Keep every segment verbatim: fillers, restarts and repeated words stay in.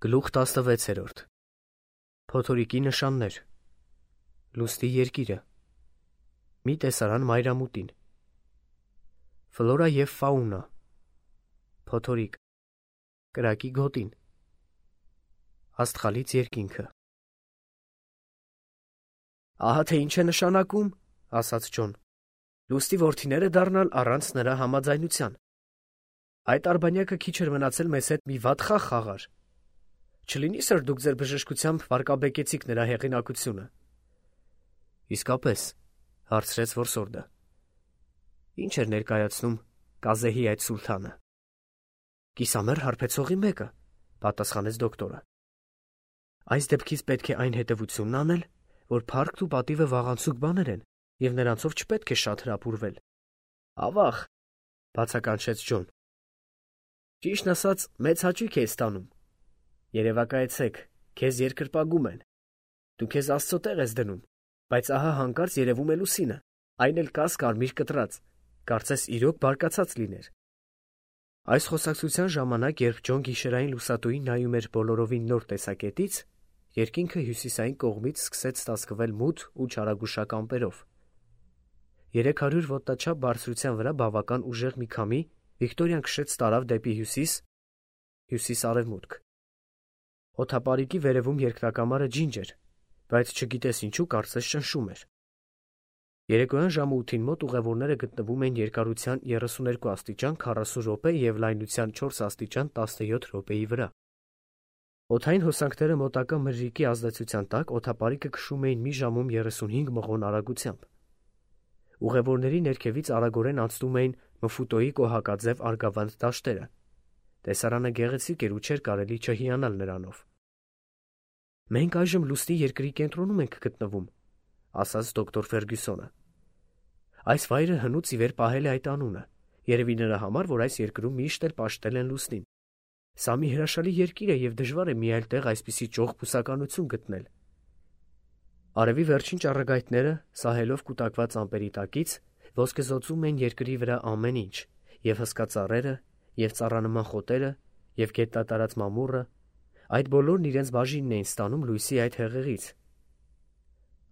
Գլուխ տասնվեցերորդ Փոթորիկի նշաններ Լուսնի երկիրը Մի տեսարան մայրամուտին Ֆլորա և ֆաունա Փոթորիկ Կրակի գոտին Աստղալից երկինքը Ահա թե ինչ է նշանակում, ասաց Ջոն, լուսնի որդիները դառնալ առանց նրա համաձայնության։ Այդ արբանյակը քիչ էր մնացել մեզ հետ մի վատ խաղ խաղար։ Չլինի՞ սր դուք ձեր բժշկությամբ վարկաբեկեցիք նրա հեղինակությունը։ Իսկապես, հարցրեց որսորդը։ Ինչ էր ներկայացնում Կազեհի այդ սուլթանը։ Կիսամեռ հարբեցողի մեկը, պատասխանեց դոկտորը։ Այս դեպքից պետք է այն հետևությունն անել, որ փառքն ու պատիվը վաղանցուկ բաներ են, և նրանցով չպետք է շատ հրապուրվել։ Ավաղ, բացականչեց Ջոն։ Ճիշտն ասած, մեծ հաճույք է ստանում։ Երևակայեցեք, քեզ երկրպագում են։ Դու քեզ Աստծո տեղ ես դնում, բայց ահա հանկարծ երևում է լուսինը, այն էլ կաս կարմիր կտրած, կարծես իրոք բարկացած լիներ։ Այս խոսակցության ժամանակ, երբ Ջոն գիշերային լուսատուին նայում էր բոլորովին նոր տեսակետից, երկինքը հյուսիսային կողմից սկսեց ծածկվել մութ ու չարագուշակ ամպերով։ Երեք հարյուր ոտնաչափ բարձրության վրա բավական ուժեղ մի քամի Վիկտորիան քշեց տարավ դեպի հյուսիս, հյուսիս-արևմուտք։ Օդապարիկի վերևում երկրակամարը ջինջ էր, բայց չգիտես ինչու կարծես շնշում էր։ Երեկոյան ժամը ութին մոտ ուղևորները գտնվում էին երկարության երեսուներկու աստիճան քառասուն րոպե և լայնության չորս աստիճան տասնյոթ րոպեի վրա։ Օդային հոսանքները մոտակա մրրիկի ազդեցության տակ օդապարիկը քշում էին մի ժամում երեսունհինգ մղոն արագությամբ։ Ուղևորների ներքևից արագորեն անցնում էին Մֆուտոյի կոհակաձև արգավանդ դաշտերը։ Տեսարանը գեղեցիկ էր ու չէր կարելի չհիանալ նրանով։ Մենք այժմ լուսնի երկրի կենտրոնում ենք գտնվում, ասաց դոկտոր Ֆերգյուսոնը։ Այս վայրը հնուց ի վեր պահել է այդ անունը, երևի նրա համար, որ այս երկրում միշտ էլ պաշտել են լուսնին։ Սա մի հրաշալի երկիր է և դժվար է մի այլ տեղ այսպիսի ճոխ բուսականություն գտնել։ Արևի վերջին ճառագայթները, սահելով կուտակված ամպերի տակից, ոսկեզօծում էին երկրի վրա ամեն ինչ, և հսկա ծառերը, և ծառանման խոտերը, և գետատարած մամուռը, այդ բոլորն իրենց բաժինն էին ստանում լույսի այդ հեղեղից։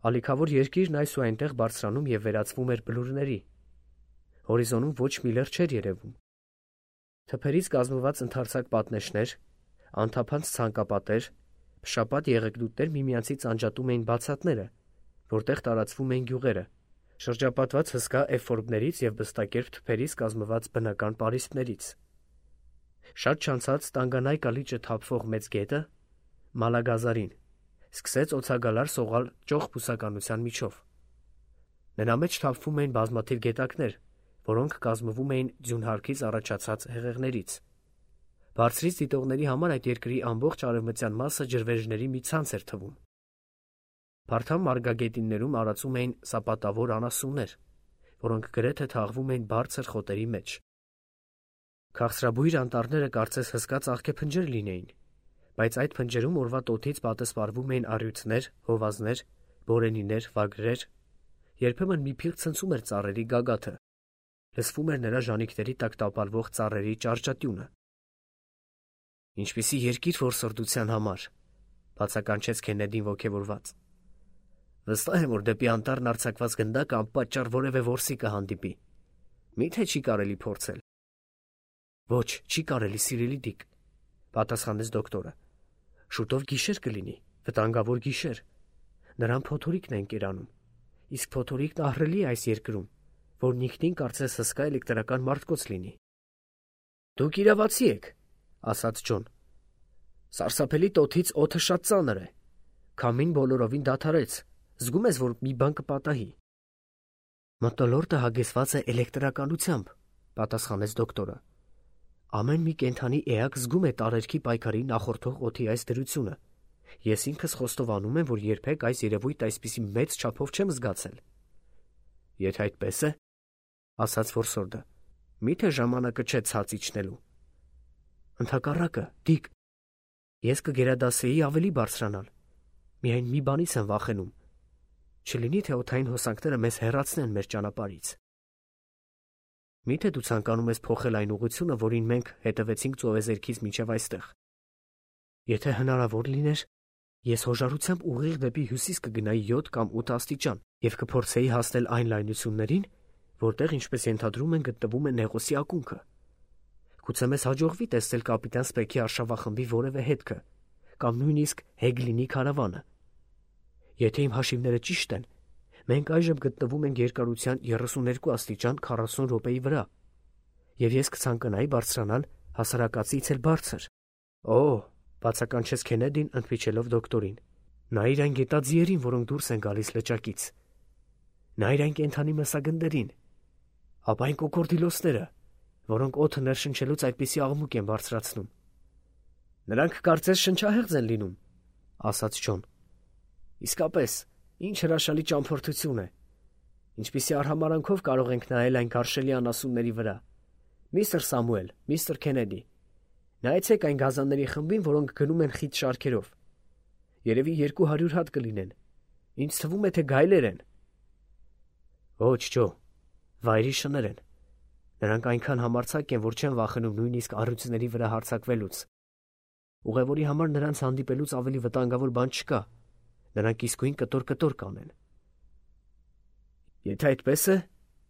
Ալիքավոր երկիրն այս ու այնտեղ բարձրանում և վերածվում էր բլուրների։ Հորիզոնում ոչ մի լեռ չէր երևում։ Թփերից կազմված ընդարձակ պատնեշներ, անթափանց ցանկապատեր, փշապատ եղեգնուտներ միմյանցից անջատում էին բացատները, որտեղ տարածվում էին գյուղերը, շրջապատված հսկա էֆորբներից և բստակերպ թփերից կազմված բնական պարիսպներից։ Շատ չանցած Տանգանայկա լիճը թափվող մեծ գետը, Մալագազարին, սկսեց օձագալար սողալ ճոխ բուսականության միջով։ Նրա մեջ թափվում էին բազմաթիվ գետակներ, որոնք կազմվում էին ձյունհարքից առաջացած հեղեղներից։ Բարձրից դիտողների համար այդ երկրի ամբողջ արևմտյան մասը ջրվեժների մի ցանց էր թվում։ Փարթամ մարգագետիններում արածում էին սապատավոր անասուններ, որոնք գրեթե թաղվում էին բարձր խոտերի մեջ։ Քաղցրաբույր անտառները կարծես հսկա ծաղկեփնջեր լինեին, բայց այդ փնջերում օրվա տոթից պատսպարվում էին առյուծներ, հովազներ, բորենիներ, վագրեր։ Երբեմն մի փիղ ցնցում էր ծառերի գագաթը, լսվում էր նրա ժանիքների տակ տապալվող ծառերի ճարճատյունը։ Ինչպիսի երկիր որսորդության համար, բացականչեց Քեննեդին ոգևորված։ Վստահ եմ, որ դեպի անտառն արձակված գնդակը անպատճառ որևէ որսի կհանդիպի։ Մի՞թե չի կարելի փորձել։ Ոչ, չի կարելի, սիրելի Դիկ, պատասխանեց դոկտորը։ Շուտով գիշեր կլինի, վտանգավոր գիշեր։ Նրան փոթորիկն են կերանում, իսկ փոթորիկն ահռելի է այս երկրում, որն ինքնին կարծես հսկա էլեկտրական մարտկոց լինի։ Դուք իրավացի եք, ասաց Ջոն։ Սարսափելի տոթից օդը շատ ծանր է։ Քամին բոլորովին դադարեց, զգում ես, որ մի բան կպատահի։ Մթնոլորտը հագեցված է էլեկտրականությամբ, պատասխանեց դոկտորը։ Ամեն մի կենդանի էակ զգում է տարերքի պայքարի նախորդող օդի այս դրությունը։ Ես ինքս խոստովանում եմ, որ երբեք այս երևույթ այսպիսի մեծ չափով չեմ զգացել։ Եթե այդպես է, ասաց որսորդը, մի՞թե ժամանակը չէ ցած իջնելու։ Ընդհակառակը, Դիկ, ես կգերադասեի ավելի բարձրանալ։ Միայն մի բանից եմ վախենում։ Չլինի թե օդային հոսանքները մեզ հեռացնեն մեր ճանապարհից։ Մի՞թե դու ցանկանում ես փոխել այն ուղղությունը, որին մենք հետևեցինք ծովեզերքից մինչև այստեղ։ Եթե հնարավոր լիներ, ես հոժարությամբ ուղիղ դեպի հյուսիս կգնայի յոթ կամ ութ աստիճան և կփորձեի հասնել այն լայնություններին, որտեղ, ինչպես ենթադրում են, գտնվում է Նեղոսի ակունքը։ Գուցե մեզ հաջողվի տեսնել կապիտան Սպեքի արշավախմբի որևէ հետքը, կամ նույնիսկ Հեգլինի քարավանը։ Եթե իմ հաշիվները ճիշտ են, մենք այժմ գտնվում ենք երկարության երեսուներկու աստիճան քառասուն րոպեի վրա, և ես կցանկանայի բարձրանալ հասարակածից էլ բարձր։ Օ՜, բացականչեց Քենեդին, ընդմիջելով դոկտորին։ Նայիր այն գետաձիերին, որոնք դուրս են գալիս լճակից։ Նայիր այն կենդանի մսագնդերին։ Ապա այն կոկորդիլոսները, որոնք օդը ներշնչելուց այդպիսի աղմուկ են բարձրացնում։ Նրանք կարծես շնչահեղձ են լինում, ասաց Ջոն։ Իսկապես, ինչ հրաշալի ճամփորդություն է։ Ինչպիսի արհամարանքով կարող ենք նայել այն գարշելի անասունների վրա։ Միստր Սամուել, միստր Քենեդի, նայեցեք այն գազանների խմբին, որոնք գնում են խիտ շարքերով։ Երևի երկու հարյուր հատ կլինեն։ Ինձ թվում է, թե գայլեր են։ Ոչ, Ջո, վայրի շներ են։ Նրանք այնքան համարձակ են, որ չեն վախենում նույնիսկ առյուծների վրա հարձակվելուց։ Ուղևորի համար նրանց հանդիպելուց ավելի վտանգավոր բան չկա։ Նրանք իսկույն կտոր-կտոր կանեն։ Եթե այդպես է,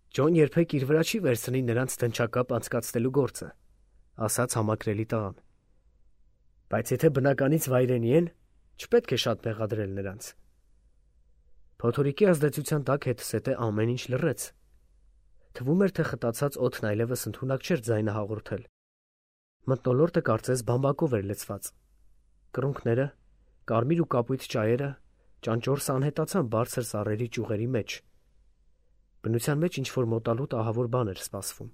Ջոն երբեք իր վրա չի վերցնի նրանց դնչակապ անցկացնելու գործը, ասաց համակրելի տղան։ Բայց եթե բնականից վայրենի են, չպետք է շատ մեղադրել նրանց։ Փոթորիկի ազդեցության տակ հետսետե ամեն ինչ լռեց։ Թվում էր, թե խտացած օդն այլևս ընդունակ չէր ձայնը հաղորդել։ Մթնոլորտը կարծես բամբակով էր լցված։ Կռունկները, կարմիր ու կապույտ ճայերը ճանճորս անհետացան բարձր սառերի ճյուղերի մեջ։ Բնության մեջ ինչ-որ մոտալուտ ահավոր բան էր սպասվում։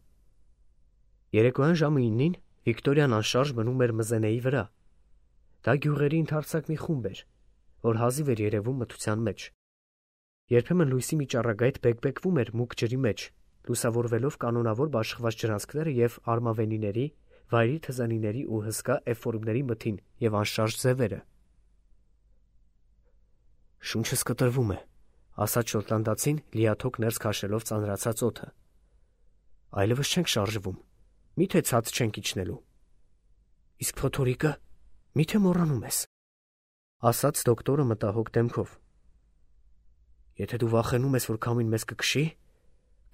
Երեկոյան ժամը իննին Վիկտորիան անշարժ մնում էր Մզենեի վրա։ Դա գյուղերի ընդարձակ մի խումբ էր, որ հազիվ էր երևում մթության մեջ։ Երբեմն լույսի մի ճառագայթ բեկբեկվում էր մուգ ջրի մեջ, լուսավորվելով կանոնավոր բաշխված ջրանցքները և արմավենիների, վայրի թզանիների ու հսկա էֆորմների մթին և անշարժ ձևերը։ Շունչս կտրվում է, ասաց շոտլանդացին, լիաթոք ներս քաշելով ծանրացած օդը։ Այլևս չենք շարժվում, միթե ցած չենք իջնելու։ Իսկ փոթորիկը, միթե մոռանում ես, ասաց դոկտորը մտահոգ դեմքով։ Եթե դու վախենում ես, որ քամին մեզ կքշի,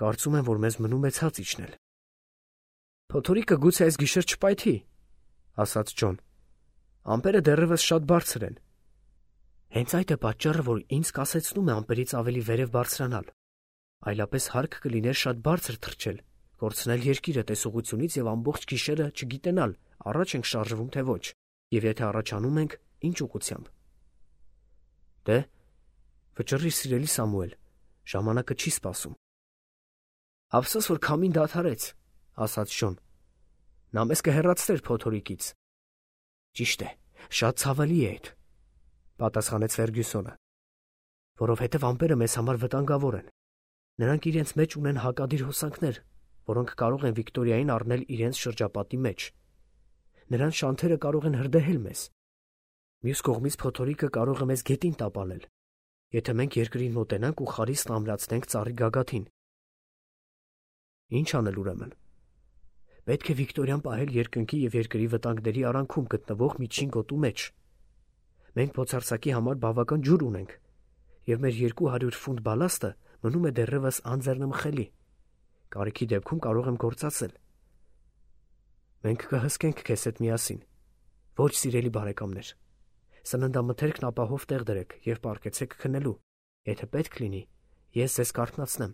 կարծում եմ, որ մեզ մնում է ցած իջնել։ Փոթորիկը գուցե այս գիշեր չպայթի, ասաց Ջոն։ Ամպերը դեռևս շատ բարձր են։ Հենց այդ է պատճառը, որ ինձ կասեցնում է ամպերից ավելի վերև բարձրանալ։ Այլապես հարկ կլիներ շատ բարձր թռչել, կորցնել երկիրը տեսողությունից և ամբողջ գիշերը չգիտենալ, առաջ ենք շարժվում, թե ոչ, և եթե առաջանում ենք, ինչ ուղղությամբ։ Դե, վճռի, սիրելի Սամուել, ժամանակը չի սպասում։ Ափսոս, որ քամին դադարեց, ասաց Ջոն։ Նա մեզ կհեռացներ փոթորիկից։ Ճիշտ է, շատ ցավալի է այդ, պատասխանեց Ֆերգյուսոնը, որովհետև ամպերը մեզ համար վտանգավոր են։ Նրանք իրենց մեջ ունեն հակադիր հոսանքներ, որոնք կարող են Վիկտորիային առնել իրենց շրջապատի մեջ։ Նրանց շանթերը կարող են հրդեհել մեզ։ Մյուս կողմից փոթորիկը կարող է մեզ գետին տապալել, եթե մենք երկրին մոտենանք ու խարիսկն ամրացնենք ծառի գագաթին։ Ինչ անել ուրեմն։ Պետք է Վիկտորիան պահել երկնքի և երկրի վտանգների արանքում գտնվող միջին գոտու մեջ։ Մենք փոցարսակի համար բավական ջուր ունենք, և մեր երկու հարյուր ֆունտ բալաստը մնում է դեռևս անձեռնմխելի։ Կարիքի դեպքում կարող եմ գործածել։ Մենք կհսկենք քեզ հետ միասին։ Ոչ, սիրելի բարեկամներ, սննդամթերքն ապահով տեղ դրեք և պառկեցեք քնելու, եթե պետք լինի, ես ձեզ կարթնացնեմ։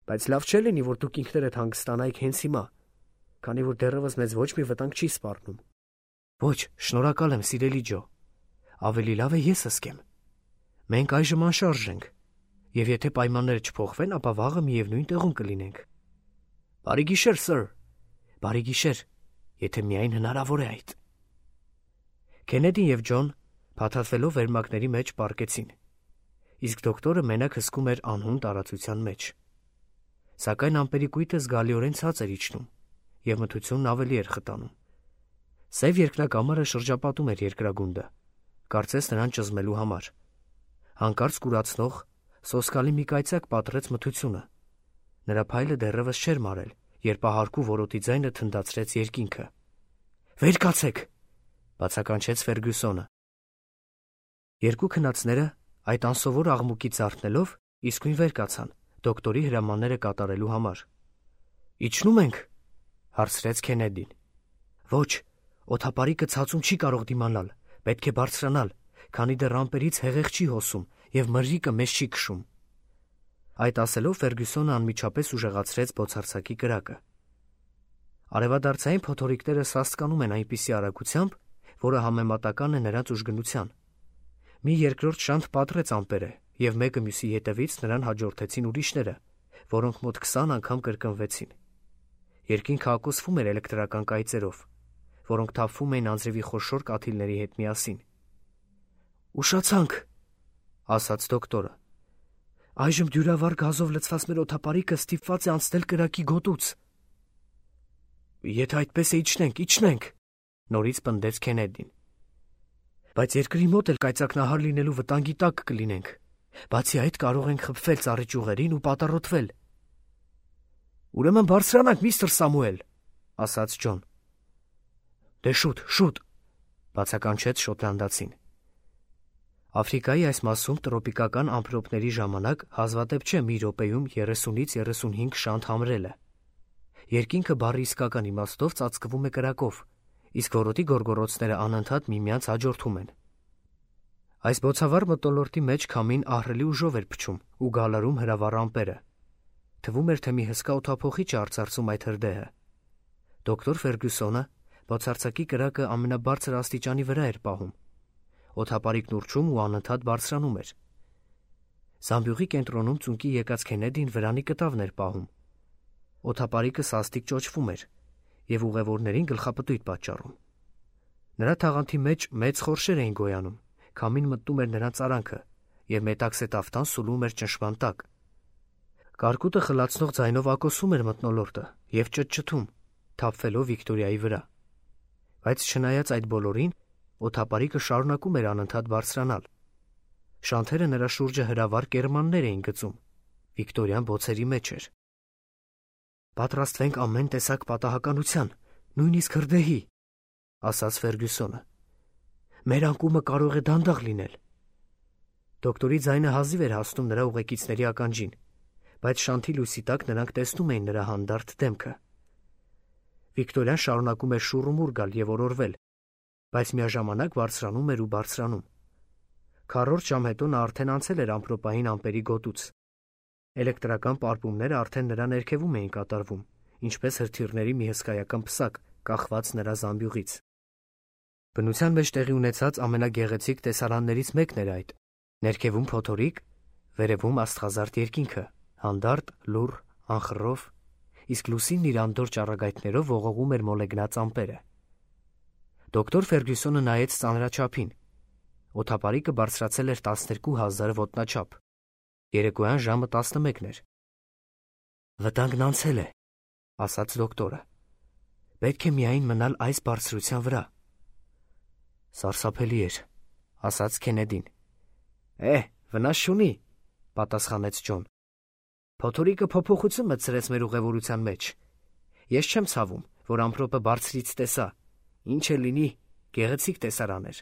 Բայց լավ չէ լինի, որ դուք ինքներդ հանգստանայիք հենց հիմա, քանի որ դեռևս մեզ ոչ մի վտանգ չի սպառնում։ Ոչ, շնորհակալ եմ, սիրելի Ջո, ավելի լավ է ես հսկեմ։ Մենք այժմ անշարժ ենք, և եթե պայմանները չփոխվեն, ապա վաղը միևնույն տեղում կլինենք։ Բարի գիշեր, սըր, բարի գիշեր, եթե միայն հնարավոր է այդ։ Քենեդին և Ջոն փաթաթվելով վերմակների մեջ պառկեցին, իսկ դոկտորը մենակ հսկում էր անհուն տարածության մեջ։ Սակայն ամպերի կույտը զգալիորեն ցած էր իջնում, և մթությունն ավելի էր խտանում։ Սև երկնակամարը շրջապատում էր երկրագունդը, կարծես նրան ճզմելու համար։ Հանկարծ կուրացնող, սոսկալի մի կայծակ պատռեց մթությունը։ Նրա փայլը դեռևս չէր մարել, երբ ահարկու որոտի ձայնը թնդացրեց երկինքը։ Վեր կացեք, բացականչեց Ֆերգյուսոնը։ Երկու քնածները այդ անսովոր աղմուկից զարթնելով իսկույն վեր կացան դոկտորի հրամանները կատարելու համար։ Իջնում ենք, հարցրեց Քենեդին։ Ոչ, օդապարիկը ցածում չի կարող դիմանալ, պետք է բարձրանալ, քանի դեռ ամպերից հեղեղ չի հոսում և մրրիկը մեզ չի քշում։ Այդ ասելով Ֆերգյուսոնը անմիջապես ուժեղացրեց բոցարձակի կրակը։ Արևադարձային փոթորիկները սաստկանում են այնպիսի արագությամբ, որը համեմատական է նրանց ուժգնության։ Մի երկրորդ շանթ պատռեց ամպերը, և մեկը մյուսի ետևից նրան հաջորդեցին ուրիշները, որոնք մոտ քսան անգամ կրկնվեցին։ Երկինքը ակոսվում էր էլեկտրական կայծերով, որոնք թափվում էին անձրևի խոշոր կաթիլների հետ միասին։ Ուշացանք, ասաց դոկտորը։ Այժմ դյուրավառ գազով լցված մեր օդապարիկը ստիպված է անցնել կրակի գոտուց։ Եթե այդպես է, իջնենք, իջնենք, նորից պնդեց Քենեդին։ Բայց երկրի մոտ էլ կայծակնահար լինելու վտանգի տակ կլինենք։ Բացի այդ կարող ենք խփվել ծառի ճյուղերին ու պատառոտվել։ Ուրեմն բարձրանանք, միստր Սամուել, ասաց Ջոն։ Դե շուտ, շուտ, բացականչեց շոտլանդացին։ Աֆրիկայի այս մասում տրոպիկական ամպրոպների ժամանակ հազվադեպ չէ մի րոպեում երեսունից երեսունհինգ շանթ համրելը։ Երկինքը բառի իսկական իմաստով ծածկվում է կրակով, իսկ որոտի գորգոռոցները անընդհատ միմյանց հաջորդում են։ Այս բոցավառ մթնոլորտի մեջ քամին ահռելի ուժով էր փչում ու գալարում հրավառ ամպերը։ Թվում էր, թե մի հսկա օդափոխիչ է արծարծում այդ հրդեհը։ Դոկտոր Ֆերգյուսոնը բոցարձակի կրակը ամենաբարձր աստիճանի վրա էր պահում։ Օդապարիկն ուռչում ու անընդհատ բարձրանում էր։ Զամբյուղի կենտրոնում ծունկի եկած Քենեդին վրանի կտավն էր պահում։ Օդապարիկը սաստիկ ճոճվում էր և ուղևորներին գլխապտույտ պատճառում։ Նրա թաղանթի մեջ մեծ խորշեր էին գոյանում, քամին մտնում էր նրանց արանքը և մետաքսե տաֆտան սուլում էր ճնշման տակ։ Կարկուտը խլացնող ձայնով ակոսում էր մթնոլորտը և ճտճտում, թափվելով Վիկտորիայի վրա։ Բայց չնայած այդ բոլորին, օդապարիկը շարունակում էր անընդհատ բարձրանալ։ Շանթերը նրա շուրջը հրավառ կերմաններ էին գծում։ Վիկտորիան բոցերի մեջ էր։ Պատրաստվենք ամեն տեսակ պատահականության, նույնիսկ հրդեհի, ասաց Ֆերգյուսոնը։ Մեր անկումը կարող է դանդաղ լինել։ Դոկտորի ձայնը հազիվ էր հասնում նրա ուղեկիցների ականջին, բայց շանթի լույսի տակ նրանք տեսնում էին նրա հանդարտ դեմքը։ Վիկտորիան շարունակում էր շուռումուռ գալ և օրորվել, բայց միաժամանակ բարձրանում էր ու բարձրանում։ Քառորդ ժամ հետո նա արդեն անցել էր ամպրոպային ամպերի գոտուց։ Էլեկտրական պարպումները արդեն նրա ներքևում էին կատարվում, ինչպես հրթիռների մի հսկայական պսակ, կախված նրա զամբյուղից։ Բնության մեջ տեղի ունեցած ամենագեղեցիկ տեսարաններից մեկն էր այդ։ Ներքևում փոթորիկ, վերևում աստղազարդ երկինքը, հանդարտ, լուռ, անխռով, իսկ լուսինն իր անդորր ճառագայթներով ողողում էր մոլեգնած ամպերը։ Դոկտոր Ֆերգյուսոնը նայեց ծանրաչափին։ Օդապարիկը բարձրացել էր տասներկու հազար ոտնաչափ։ Երեկոյան ժամը տասնմեկն էր։ Վտանգն անցել է, ասաց դոկտորը։ Պետք է միայն մնալ այս բարձրության վրա։ Սարսափելի էր, ասաց Քենեդին։ Է, վնաս չունի, պատասխանեց Ջոն։ Փոթորիկը փոփոխություն մտցրեց մեր ուղևորության մեջ։ Ես չեմ ցավում, որ ամպրոպը բարձրից տեսա, ինչ է լինի, գեղեցիկ տեսարան էր։